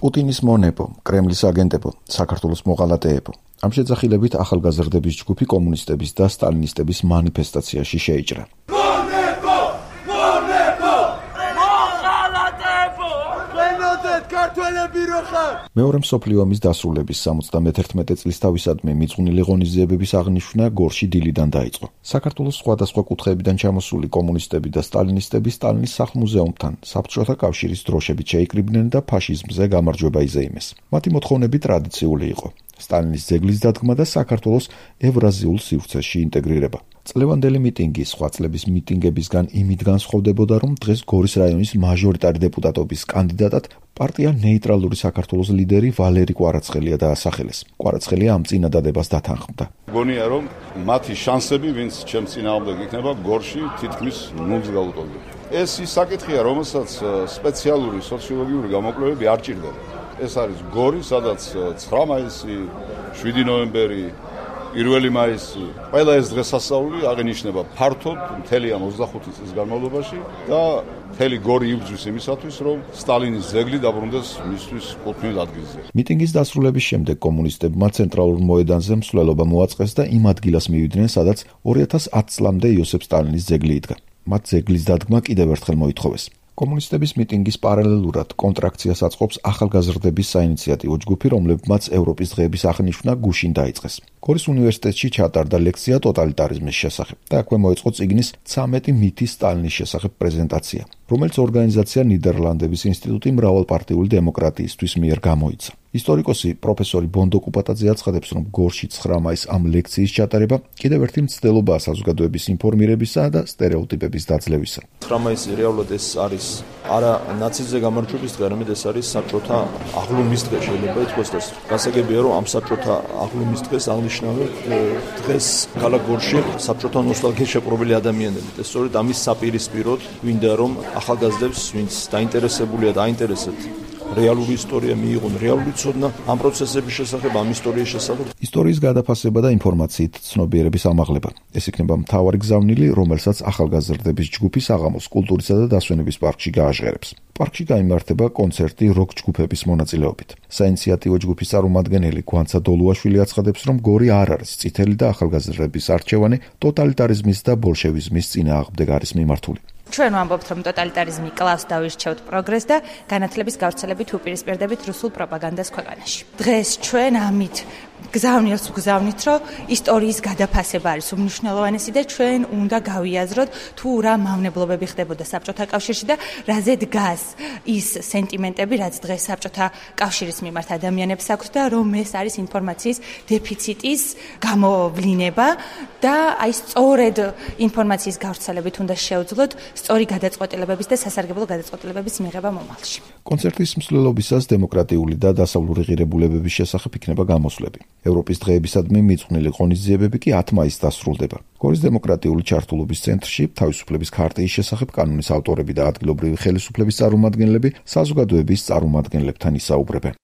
პუტინის მონებო, კრემლის აგენტებო, საქართველოს მოღალატეებო. ამ შეძახილებით ახალგაზრდების ჯგუფი კომუნისტების და სტალინისტების მანიფესტაციაში შეიჭრა. მეორე მსოფლიო ომის დასრულების 71 წლის თავისადმი მიძღვნილი ღონისძიებების აღნიშვნა გორში დილიდან დაიწყო. საქართველოს სხვადასხვა კუთხეებიდან ჩამოსული კომუნისტები და სტალინისტები სტალინის სახლ-მუზეუმთან საბჭოთა კავშირის დროშებით შეიკრიბნენ და ფაშიზმზე გამარჯვება იზეიმეს. მათი მოთხოვნები ტრადიციული იყო: სტალინის ძეგლის დადგმა და საქართველოს ევრაზიულ სივრცეში ინტეგრირება. წლევანდელი მიტინგი სხვა წლების მიტინგებისგან იმით განსხვავდებოდა, რომ დღეს გორის რაიონის მაჟორიტარი დეპუტატობის კანდიდატად პარტია ნეიტრალური საქართველოს ლიდერი ვალერი კვარაცხელია დაასახელეს. კვარაცხელია ამ წინადადებას დათანხმდა. გონია რომ მათი შანსები, ვინც ჩემს წინააღმდეგ იქნება გორში, თითქმის ნულს გაუტოლდება. ეს ის საკითხია, რომელსაც სპეციალური სოციოლოგიური გამოკვლევები არ ჭირდება. ეს არის გორი, სადაც 9 მაისი, 7 ნოემბერი, 1 მაისი, ყველა ეს დღესასწაული აღინიშნება ფართოდ მთელი ამ 25 წლის განმავლობაში და მთელი გორი იბრძვის იმისათვის, რომ სტალინის ძეგლი დაბრუნდეს მისთვის კუთვნილ ადგილზე. მიტინგის დასრულების შემდეგ კომუნისტებმა ცენტრალურ მოედანზე მსვლელობა მოაწყეს და იმ ადგილას მივიდნენ, სადაც 2010 წლამდე იოსებ სტალინის ძეგლი იდგა. მათ ძეგლის დადგმა კიდევ ერთხელ მოითხოვეს. კომუნისტების მიტინგის პარალელურად კონტრაქციას აწყობს ახალგაზრდების საინიციატივო ჯგუფი, რომლებმაც ევროპის დღეების აღნიშვნა გუშინ დაიწყეს. გორის უნივერსიტეტში ჩატარდა ლექცია ტოტალიტარიზმის შესახებ და აქვე მოეწყო წიგნის 13 მითი სტალინის შესახებ პრეზენტაცია, რომელიც ორგანიზაცია ნიდერლანდების ინსტიტუტი მრავალპარტიული დემოკრატიისთვის მიერ გამოიცა. ისტორიკოსი პროფესორი ბონდო კუპატაძე აცხადებს, რომ გორში 9 მაისს ამ ლექციის ჩატარება კიდევ ერთი მცდელობაა საზოგადოების ინფორმირებისა და სტერეოტიპების დაძლევისა. 9 მაისი რეალურად ეს არის არა ნაციზმზე გამარჯვების დღე, არამედ ეს არის საბჭოთა აღლუმის დღე შეიძლება ითქვას და გასაგებია, რომ ამ საბჭოთა აღლუმის დღეს აღნიშნავენ დღეს ქალაქ გორში საბჭოთა ნოსტალგიით შეპყრობილი ადამიანები და სწორედ ამის საპირისპიროდ გვინდა რომ ახალგაზრდებს, ვინც დაინტერესებულია და აინტერესებთ რეალური ისტორია მიიღონ, რეალური ცოდნა ამ პროცესების შესახებ, ამ ისტორიის შესახებ. ისტორიის გადაფასება და ინფორმაციით ცნობიერების ამაღლება. ეს იქნება მთავარი გზავნილი, რომელსაც ახალგაზრდების ჯგუფი საღამოს კულტურისა და დასვენების პარკში გააჟღერებს. პარკში გაიმართება კონცერტი როკ ჯგუფების მონაწილეობით. საინიციატივო ჯგუფის წარმომადგენელი გვანცა დოლუაშვილი აცხადებს, რომ გორი არ არის წითელი და ახალგაზრდების არჩევანი ტოტალიტარიზმის და ბოლშევიზმის წინააღმდეგ არის მიმართული. ჩვენ ვამბობთ, რომ ტოტალიტარიზმი კლავს და ვირჩევთ პროგრესს და განათლების გავრცელებით უპირისპირდებით რუსულ პროპაგანდას ქვეყანაში. დღეს ჩვენ ამით გზავნილს ვგზავნით, რომ ისტორიის გადაფასება არის უმნიშვნელოვანესი და ჩვენ უნდა გავიაზროთ თუ რა მავნებლობები ხდებოდა საბჭოთა კავშირში და რაზე დგას ის სენტიმენტები, რაც დღეს საბჭოთა კავშირის მიმართ ადამიანებს აქვს და რომ ეს არის ინფორმაციის დეფიციტის გამოვლინება და აი სწორედ ინფორმაციის გავრცელებით უნდა შევძლოთ სწორი გადაწყვეტილებების და სასარგებლო გადაწყვეტილებების მიღება მომავალში. კონცერტის მსვლელობისას დემოკრატიული და დასავლური ღირებულებების შესახებ იქნება გამოსვლები. ევროპის დღეებისადმი მიძღვნილი ღონისძიებები კი 10 მაისს დასრულდება. გორის დემოკრატიული ჩართულობის ცენტრში თავისუფლების ქარტიის შესახებ კანონის ავტორები და ადგილობრივი ხელისუფლების წარმომადგენლები საზოგადოების წარმომადგენლებთან ისაუბრებენ.